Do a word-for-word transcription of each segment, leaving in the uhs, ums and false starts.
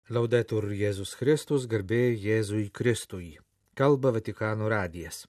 Laudetur Jėzus Kristus, garbė Jėzui Kristui. Kalba Vatikano radijas.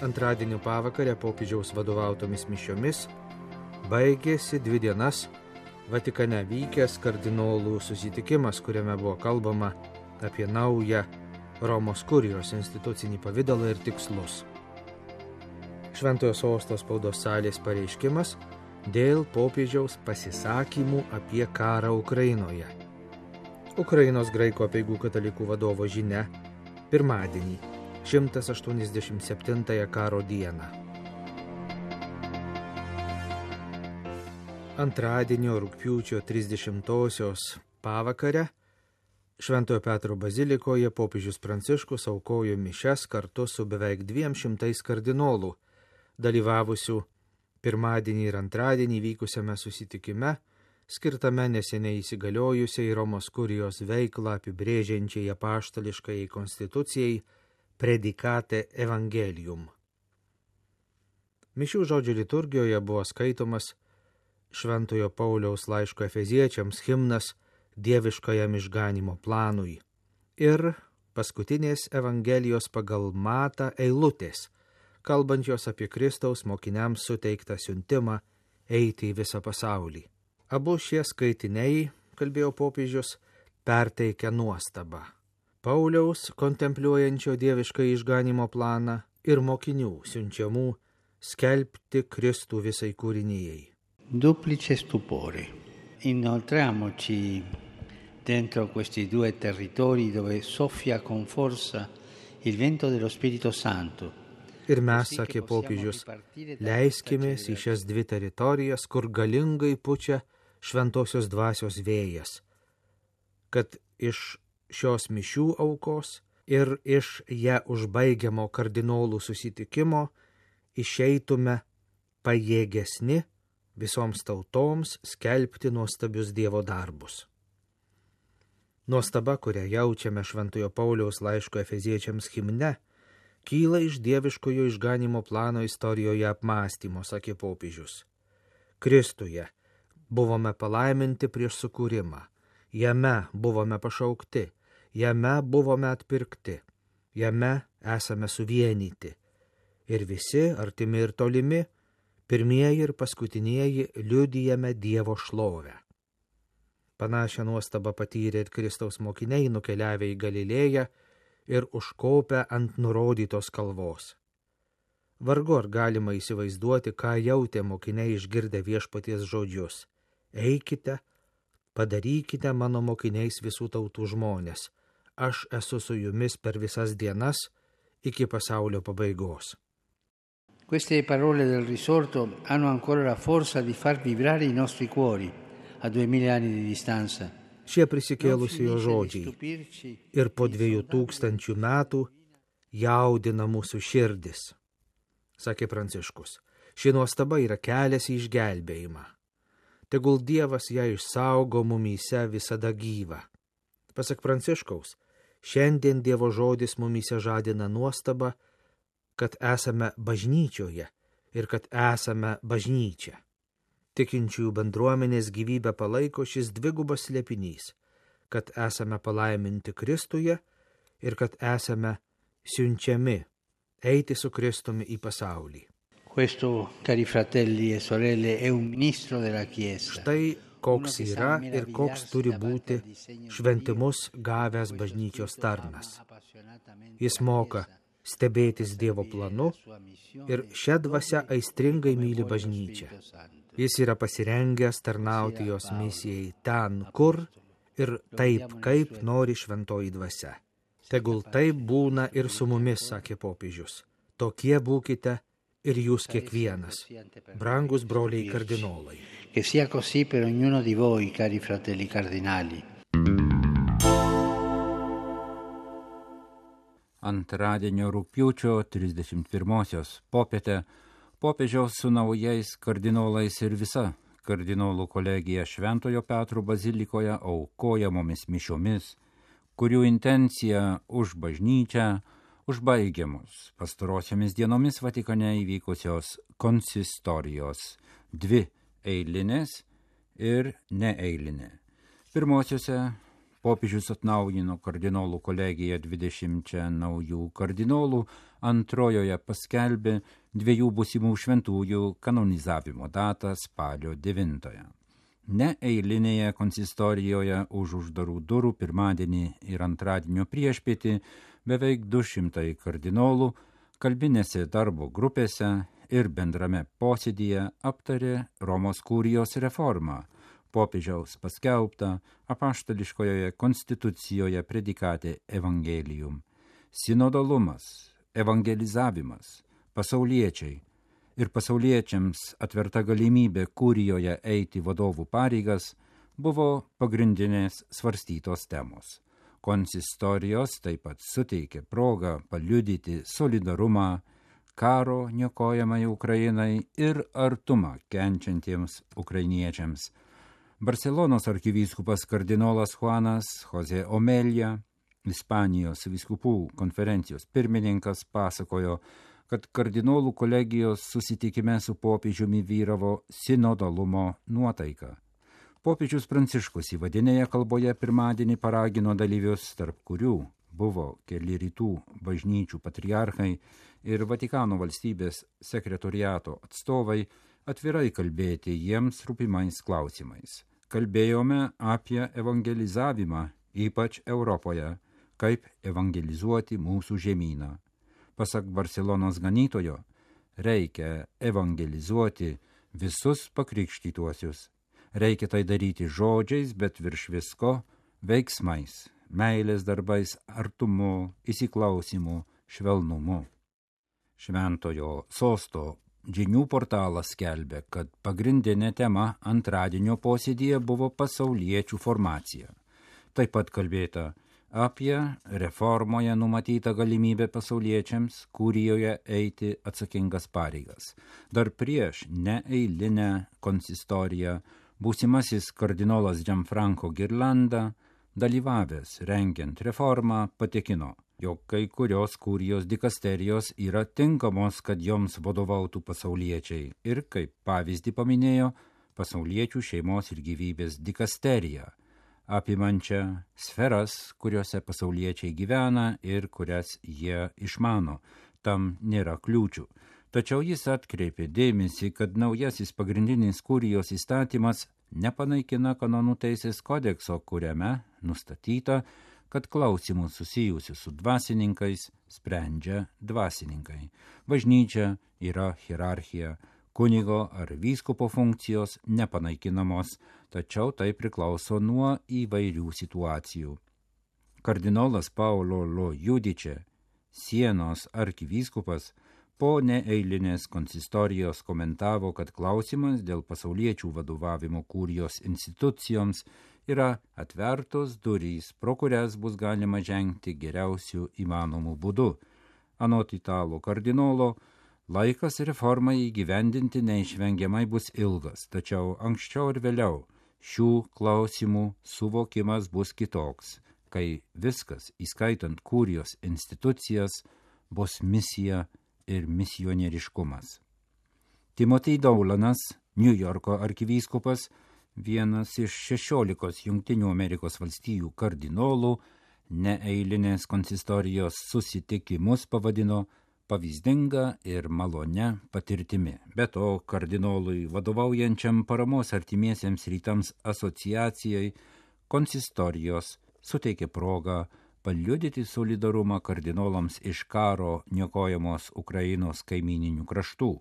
Antradienio pavakarę popiežiaus vadovautomis mišiomis baigėsi dvi dienas Vatikane vykęs kardinolų susitikimas, kuriame buvo kalbama apie naują Romos kurijos institucinį pavidalą ir tikslus. Šventojo sosto spaudos salės pareiškimas dėl popiežiaus pasisakymų apie karą Ukrainoje. Ukrainos graikų apeigų katalikų vadovo žinia pirmadienį, šimtas aštuoniasdešimt septintąją karo dieną. Antradienio rugpjūčio trisdešimtosios pavakarę Šventojo Petro bazilikoje popiežius Pranciškus aukojo mišias kartu su beveik dviem šimtais kardinolų, dalyvavusių pirmadienį ir antradienį vykusiame susitikime, skirtame neseniai įsigaliojusiai Romos kurijos veiklą apibrėžiančiai apaštališkai konstitucijai Predicate Evangelium. Mišių žodžių liturgijoje buvo skaitomas Šventojo Pauliaus laiško Efeziečiams himnas dieviškajam išganimo planui ir paskutinės Evangelijos pagal Matą eilutės, kalbančios apie Kristaus mokiniams suteiktą siuntimą eiti į visą pasaulį. Abu šie skaitiniai, kalbėjo popiežius, perteikia nuostabą. Pauliaus kontempliuojančio dievišką išganimo planą ir mokinių siunčiamų skelbti Kristų visai kūrinijai. Duplice stupore. Inoltriamoci dentro questi due territori dove soffia con forza il vento dello Spirito Santo. Ir mes, sakė popiežius, leiskimės į šias dvi teritorijas, kur galingai pučia šventosios dvasios vėjas, kad iš šios mišių aukos ir iš ją užbaigiamo kardinolų susitikimo išeitume pajėgesni visoms tautoms skelbti nuostabius Dievo darbus. Nuostaba, kurią jaučiame Šventojo Pauliaus laiško Efeziečiams himne, kyla iš dieviškojo išganimo plano istorijoje apmąstymo, sakė popiežius. Kristuje buvome palaiminti prieš sukūrimą, jame buvome pašaukti, jame buvome atpirkti, jame esame suvienyti. Ir visi, artimi ir tolimi, pirmieji ir paskutinieji liudijame Dievo šlovę. Panašią nuostabą patyrė ir Kristaus mokiniai nukeliavę į Galilėją ir užkopę ant nurodytos kalvos. Vargu ar galima įsivaizduoti, ką jautė mokiniai išgirdę viešpaties žodžius. Eikite, padarykite mano mokiniais visų tautų žmonės. Aš esu su jumis per visas dienas iki pasaulio pabaigos. Queste parole del risorto hanno ancora la forza di far vibrare i nostri cuori a duemila anni di distanza. Šie prisikėlusiojo žodžiai ir po dviejų tūkstančių metų jaudina mūsų širdis, sakė Pranciškus. Ši nuostaba yra kelias į išgelbėjimą. Tegul Dievas ją išsaugo mumyse visada gyvą. Pasak Pranciškaus, šiandien Dievo žodis mumyse žadina nuostabą, kad esame bažnyčioje ir kad esame bažnyčia. Tikinčiųjų bendruomenės gyvybę palaiko šis dvigubas slėpinys, kad esame palaiminti Kristuje ir kad esame siunčiami eiti su Kristumi į pasaulį. Questo, cari fratelli e sorelle, è un ministro della Chiesa. Štai koks yra ir koks turi būti šventimus gavęs bažnyčios tarnas. Jis moka stebėtis Dievo planu ir šią dvasią aistringai myli bažnyčią. Jis yra pasirengęs tarnauti jos misijai ten, kur ir taip, kaip nori šventoji dvasia. Tegul taip būna ir su mumis, sakė popiežius. Tokie būkite ir jūs kiekvienas, brangus broliai kardinolai. Che sia così per ognuno di voi, cari fratelli cardinali. Antradienio rugpjūčio trisdešimt pirmosios popietę popiežiaus su naujais kardinolais ir visa kardinolų kolegija Šventojo Petro bazilikoje aukojamomis mišiomis, kurių intencija už bažnyčią, Užbaigiamus pastarosiomis dienomis Vatikane įvykusios konsistorijos, dvi eilinės ir neeilinė. Pirmosiuose popiežius atnaujino kardinolų kolegiją dvidešimčia naujų kardinolų, antrojoje paskelbė dviejų būsimų šventųjų kanonizavimo datą spalio devintąją. Neeilinėje konsistorijoje už uždarų durų pirmadienį ir antradienio priešpietį beveik du šimtai kardinolų kalbinėse darbo grupėse ir bendrame posėdyje aptarė Romos kurijos reformą, popiežiaus paskelbtą apaštališkojoje konstitucijoje predikate Evangelium. Sinodalumas, evangelizavimas, pasauliečiai ir pasauliečiams atverta galimybė kurijoje eiti vadovų pareigas buvo pagrindinės svarstytos temos. Konsistorijos taip pat suteikė progą paliudyti solidarumą karo niokojamai Ukrainai ir artumą kenčiantiems ukrainiečiams. Barselonos arkivyskupas kardinolas Juanas Jose Omelia, Ispanijos vyskupų konferencijos pirmininkas, pasakojo, kad kardinolų kolegijos susitikime su popiežiumi vyravo sinodalumo nuotaika. Popiežius Pranciškus įvadinėje kalboje pirmadienį paragino dalyvius, tarp kurių buvo keli rytų bažnyčių patriarchai ir Vatikano valstybės sekretoriato atstovai, atvirai kalbėti jiems rūpimais klausimais. Kalbėjome apie evangelizavimą, ypač Europoje, kaip evangelizuoti mūsų žemyną. Pasak Barselonos ganytojo, reikia evangelizuoti visus pakrikštytuosius. Reikia tai daryti žodžiais, bet virš visko veiksmais, meilės darbais, artumu, įsiklausimu, švelnumu. Šventojo sosto žinių portalas skelbia, kad pagrindinė tema antradienio posėdyje buvo pasauliečių formacija. Taip pat kalbėta apie reformoje numatytą galimybę pasauliečiams kurijoje eiti atsakingas pareigas. Dar prieš neeilinę konsistoriją būsimasis kardinolas Gianfranco Ghirlanda, dalyvavęs rengiant reformą, patikino, jog kai kurios kurijos dikasterijos yra tinkamos, kad joms vadovautų pasauliečiai ir, kaip pavyzdį paminėjo, pasauliečių šeimos ir gyvybės dikasteriją, apimančią sferas, kuriuose pasauliečiai gyvena ir kurias jie išmano. Tam nėra kliūčių. Tačiau jis atkreipė dėmesį, kad naujasis pagrindinis kurijos įstatymas nepanaikina kanonų teisės kodekso, kuriame nustatyta, kad klausimus susijusius su dvasininkais sprendžia dvasininkai. Bažnyčia yra hierarchija, kunigo ar vyskupo funkcijos nepanaikinamos, tačiau tai priklauso nuo įvairių situacijų. Kardinolas Paolo Lo Judice, Sienos arkivyskupas, po neeilinės konsistorijos komentavo, kad klausimas dėl pasauliečių vadovavimo kurijos institucijoms yra atvertos durys, pro kurias bus galima žengti geriausių įmanomų būdų. Anot italų kardinolo, laikas reformai įgyvendinti neišvengiamai bus ilgas, tačiau anksčiau ir vėliau šių klausimų suvokimas bus kitoks, kai viskas, įskaitant kurijos institucijas, bus misija ir misionieriškumas. Timothy Doulanas, New Yorko arkivyskupas, vienas iš šešiolikos Jungtinių Amerikos valstijų kardinolų, neeilinės konsistorijos susitikimus pavadino pavyzdinga ir malonia patirtimi. Be to, kardinolui vadovaujančiam paramos artimiesiems rytams asociacijai konsistorijos suteikė progą paliudyti solidarumą kardinolams iš karo niokojamos Ukrainos kaimyninių kraštų.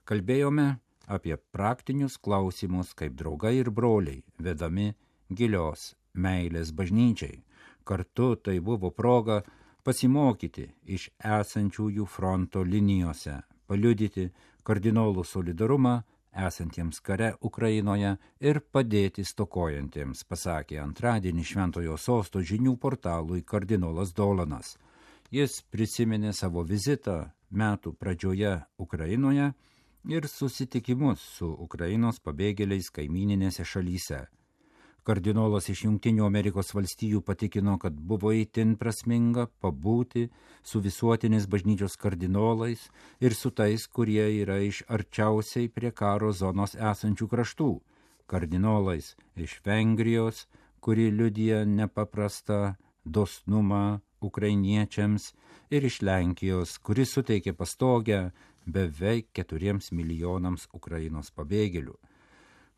Kalbėjome apie praktinius klausimus, kaip draugai ir broliai, vedami gilios meilės bažnyčiai. Kartu tai buvo proga pasimokyti iš esančiųjų fronto linijose, paliudyti kardinolų solidarumą esantiems kare Ukrainoje ir padėti stokojantiems, pasakė antradienį Šventojo sosto žinių portalui kardinolas Doulanas. Jis prisiminė savo vizitą metų pradžioje Ukrainoje ir susitikimus su Ukrainos pabėgėliais kaimininėse šalyse. Kardinolas iš Jungtinių Amerikos valstijų patikino, kad buvo itin prasminga pabūti su visuotinės bažnyčios kardinolais ir su tais, kurie yra iš arčiausiai prie karo zonos esančių kraštų. Kardinolais iš Vengrijos, kuri liudija nepaprastą dosnumą ukrainiečiams, ir iš Lenkijos, kuri suteikė pastogę beveik keturiems milijonams Ukrainos pabėgėlių.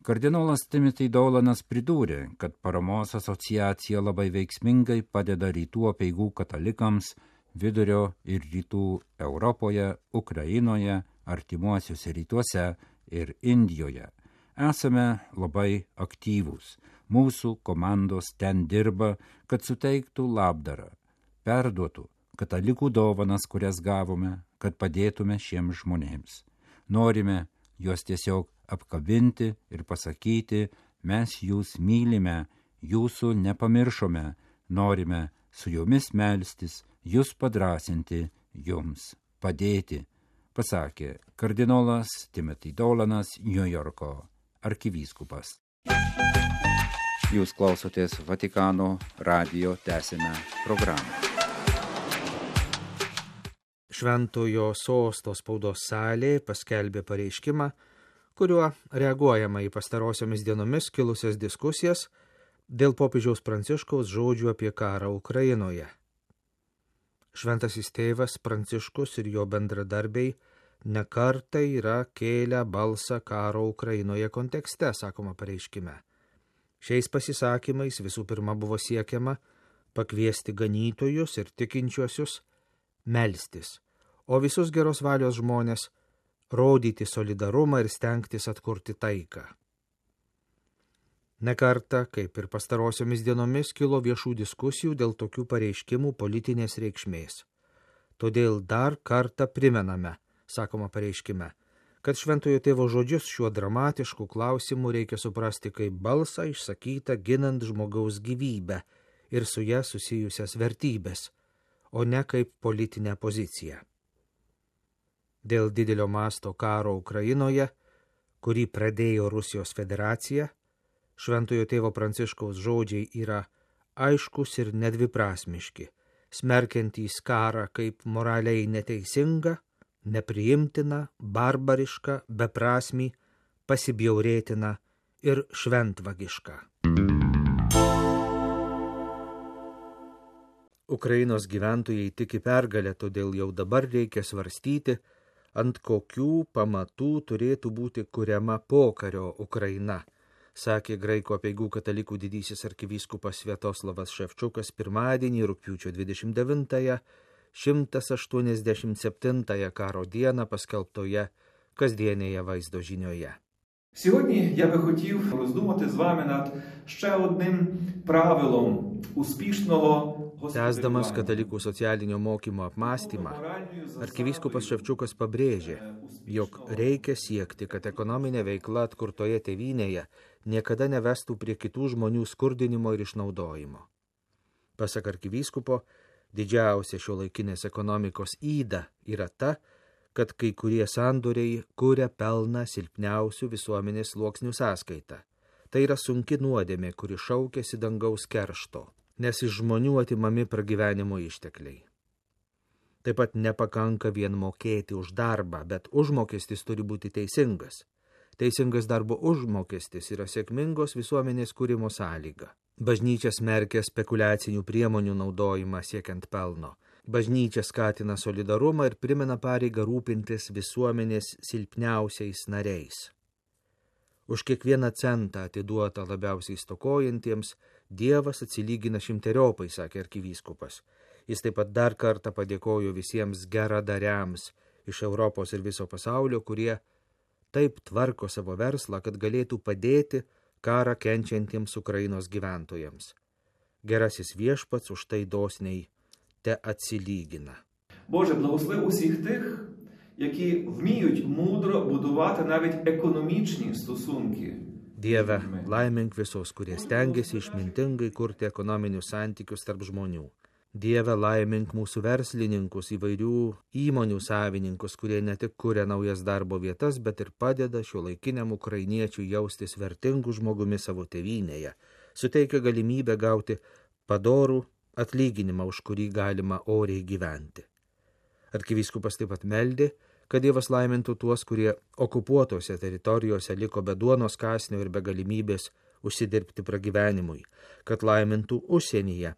Kardinolas Timothy Dolanas pridūrė, kad paramos asociacija labai veiksmingai padeda rytų apeigų katalikams vidurio ir rytų Europoje, Ukrainoje, artimuosiuose rytuose ir Indijoje. Esame labai aktyvūs. Mūsų komandos ten dirba, kad suteiktų labdarą, perduotų katalikų dovanas, kurias gavome, kad padėtume šiems žmonėms. Norime juos tiesiog apkabinti ir pasakyti, mes jūs mylime, jūsų nepamiršome, norime su jumis melstis, jūs padrasinti, jums padėti, pasakė kardinolas Timothy Dolanas, Niujorko arkivyskupas. Jūs klausotės Vatikano radijo tęsinę programą. Šventojo sosto spaudos salė paskelbė pareiškimą, kuriuo reaguojama į pastarosiomis dienomis kilusias diskusijas dėl popiežiaus Pranciškaus žodžių apie karą Ukrainoje. Šventasis tėvas Pranciškus ir jo bendradarbiai nekartą yra kėlę balsą karo Ukrainoje kontekste, sakoma pareiškime. Šiais pasisakymais visų pirma buvo siekiama pakviesti ganytojus ir tikinčiuosius melstis, o visus geros valios žmonės rodyti solidarumą ir stengtis atkurti taiką. Nekartą, kaip ir pastarosiomis dienomis, kilo viešų diskusijų dėl tokių pareiškimų politinės reikšmės. Todėl dar kartą primename, sakoma pareiškime, kad šventojo tėvo žodžius šiuo dramatišku klausimu reikia suprasti kaip balsą išsakytą ginant žmogaus gyvybę ir su ja susijusias vertybės, o ne kaip politinę poziciją. Dėl didelio masto karo Ukrainoje, kurį pradėjo Rusijos federacija, šventojo tėvo Pranciškaus žodžiai yra aiškus ir nedviprasmiški, smerkiantys karą kaip moraliai neteisinga, nepriimtina, barbariška, beprasmį, pasibjaurėtina ir šventvagiška. Ukrainos gyventojai tiki pergalę, todėl jau dabar reikia svarstyti, ant kokių pamatų turėtų būti kuriama pokario Ukraina, sakė graikų apeigų katalikų didysis arkivyskupas Sviatoslavas Ševčukas pirmadienį rugpjūčio dvidešimt devintąją šimtas aštuoniasdešimt septintąją karo dieną paskelbtoje kasdienėje vaizdo žinioje. Сьогодні я би хотів роздумати з вами над ще одним правилом успішного Tęsdamas katalikų socialinio mokymo apmąstymą, arkivyskupas Ševčukas pabrėžė, jog reikia siekti, kad ekonominė veikla atkurtoje tėvynėje niekada nevestų prie kitų žmonių skurdinimo ir išnaudojimo. Pasak arkivyskupo, didžiausia šiuolaikinės ekonomikos yda yra ta, kad kai kurie sandoriai kuria pelną silpniausių visuomenės sluoksnių sąskaitą. Tai yra sunki nuodėmė, kuri šaukiasi dangaus keršto, nes iš žmonių atimami pragyvenimo ištekliai. Taip pat nepakanka vien mokėti už darbą, bet užmokestis turi būti teisingas. Teisingas darbo užmokestis yra sėkmingos visuomenės kūrimo sąlyga. Bažnyčia smerkia spekuliacinių priemonių naudojimą siekiant pelno. Bažnyčia skatina solidarumą ir primena pareigą rūpintis visuomenės silpniausiais nariais. Už kiekvieną centą atiduotą labiausiai stokojantiems Dievas atsilygina šimteriopai, sakė arkivyskupas. Jis taip pat dar kartą padėkojo visiems geradariams iš Europos ir viso pasaulio, kurie taip tvarko savo verslą, kad galėtų padėti karą kenčiantiems Ukrainos gyventojams. Gerasis viešpats už tai dosniai te atsilygina. Боже, благослови усіх тих, які вміють мудро будувати навіть економічні стосунки. Dieve, laimink visus, kurie stengiasi išmintingai kurti ekonominius santykius tarp žmonių. Dieve, laimink mūsų verslininkus, įvairių įmonių savininkus, kurie ne tik kuria naujas darbo vietas, bet ir padeda šiuolaikiniam ukrainiečiui jaustis vertingų žmogumi savo tėvynėje, suteikia galimybę gauti padorų atlyginimą, už kurį galima oriai gyventi. Arkivyskupas taip pat meldė, kad Dievas laimintų tuos, kurie okupuotose teritorijose liko be duonos kąsnio ir be galimybės užsidirbti pragyvenimui, kad laimintų užsienyje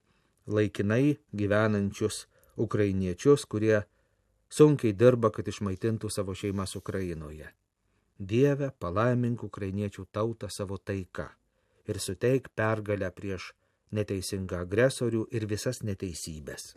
laikinai gyvenančius ukrainiečius, kurie sunkiai dirba, kad išmaitintų savo šeimas Ukrainoje. Dieve, palaimink ukrainiečių tautą savo taika ir suteik pergalę prieš neteisingą agresorių ir visas neteisybės.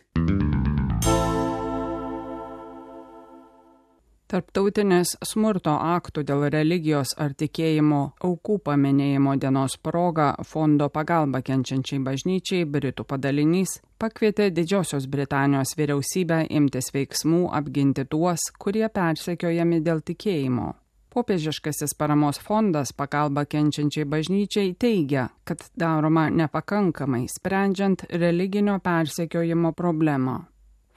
Tarptautinės smurto aktų dėl religijos ar tikėjimo aukų paminėjimo dienos proga Fondo pagalba kenčiančiai bažnyčiai Britų padalinys pakvietė Didžiosios Britanijos vyriausybę imtis veiksmų apginti tuos, kurie persekiojami dėl tikėjimo. Popiežiškasis paramos fondas pagalba kenčiančiai bažnyčiai teigia, kad daroma nepakankamai sprendžiant religinio persekiojimo problemą.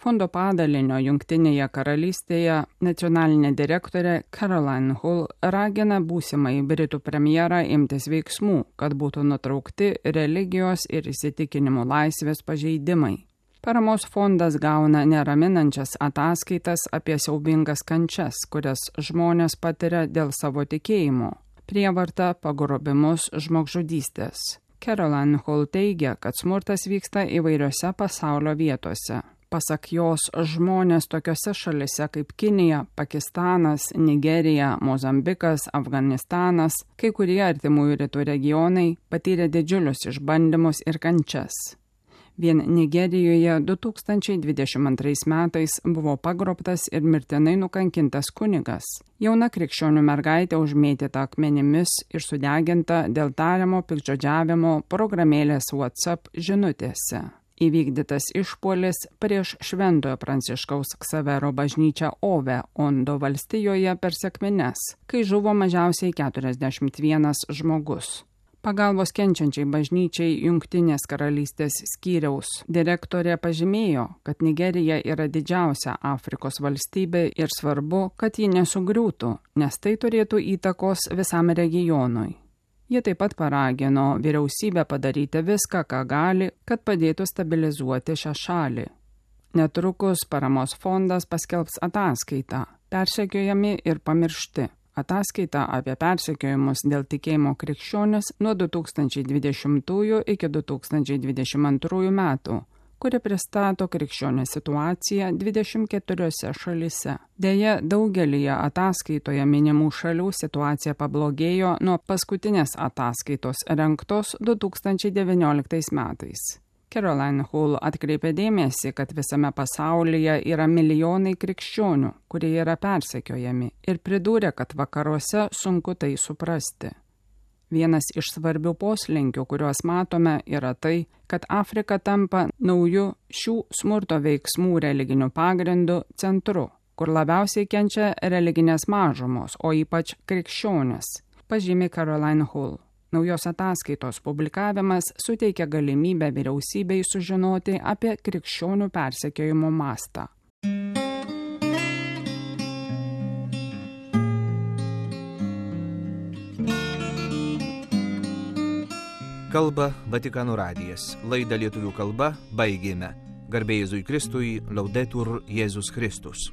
Fondo padalinio Jungtinėje karalystėje nacionalinė direktorė Caroline Hull ragina būsimąjį Britų premjerą imtis veiksmų, kad būtų nutraukti religijos ir įsitikinimų laisvės pažeidimai. Paramos fondas gauna neraminančias ataskaitas apie siaubingas kančias, kurias žmonės patiria dėl savo tikėjimo, prievartą, pagrobimus, žmogžudystės. Caroline Hull teigia, kad smurtas vyksta įvairiose pasaulio vietose. Pasak jos, žmonės tokiose šalise kaip Kinija, Pakistanas, Nigerija, Mozambikas, Afganistanas, kai kurie artimųjų rytų regionai patyrė didžiulius išbandymus ir kančias. Vien Nigerijoje du tūkstančiai dvidešimt antrais metais buvo pagrobtas ir mirtinai nukankintas kunigas. Jauna krikščionių mergaitė užmėtyta akmenimis ir sudeginta dėl tariamo piktžodžiavimo programėlės WhatsApp žinutėse. Įvykdytas išpuolis prieš Šventojo Pranciškaus Ksavero bažnyčią Ove, Ondo valstijoje per sekmines, kai žuvo mažiausiai keturiasdešimt vienas žmogus. Pagalbos kenčiančiai bažnyčiai Jungtinės karalystės skyriaus direktorė pažymėjo, kad Nigerija yra didžiausia Afrikos valstybė ir svarbu, kad ji nesugriūtų, nes tai turėtų įtakos visam regionui. Jie taip pat paragino vyriausybę padaryti viską, ką gali, kad padėtų stabilizuoti šią šalį. Netrukus paramos fondas paskelbs ataskaitą Persekiojami ir pamiršti. Ataskaita apie persekiojimus dėl tikėjimo krikščionis nuo du tūkstančiai dvidešimtųjų iki du tūkstančiai dvidešimt antrųjų metų, kuri pristato krikščionio situaciją dvidešimt keturiose šalyse. Deja, daugelyje ataskaitoje minimų šalių situacija pablogėjo nuo paskutinės ataskaitos rengtos du tūkstančiai devynioliktais metais. Caroline Hull atkreipė dėmesį, kad visame pasaulyje yra milijonai krikščionių, kurie yra persekiojami, ir pridūrė, kad vakaruose sunku tai suprasti. Vienas iš svarbių poslinkių, kuriuos matome, yra tai, kad Afrika tampa nauju šių smurto veiksmų religiniu pagrindu centru, kur labiausiai kenčia religinės mažumos, o ypač krikščionys, pažymi Caroline Hull. Naujos ataskaitos publikavimas suteikia galimybę vyriausybei sužinoti apie krikščionių persekiojimo mastą. Kalba Vatikano radijas. Laidą lietuvių kalba baigėme. Garbė Jėzui Kristui, Laudetur Jėzus Kristus.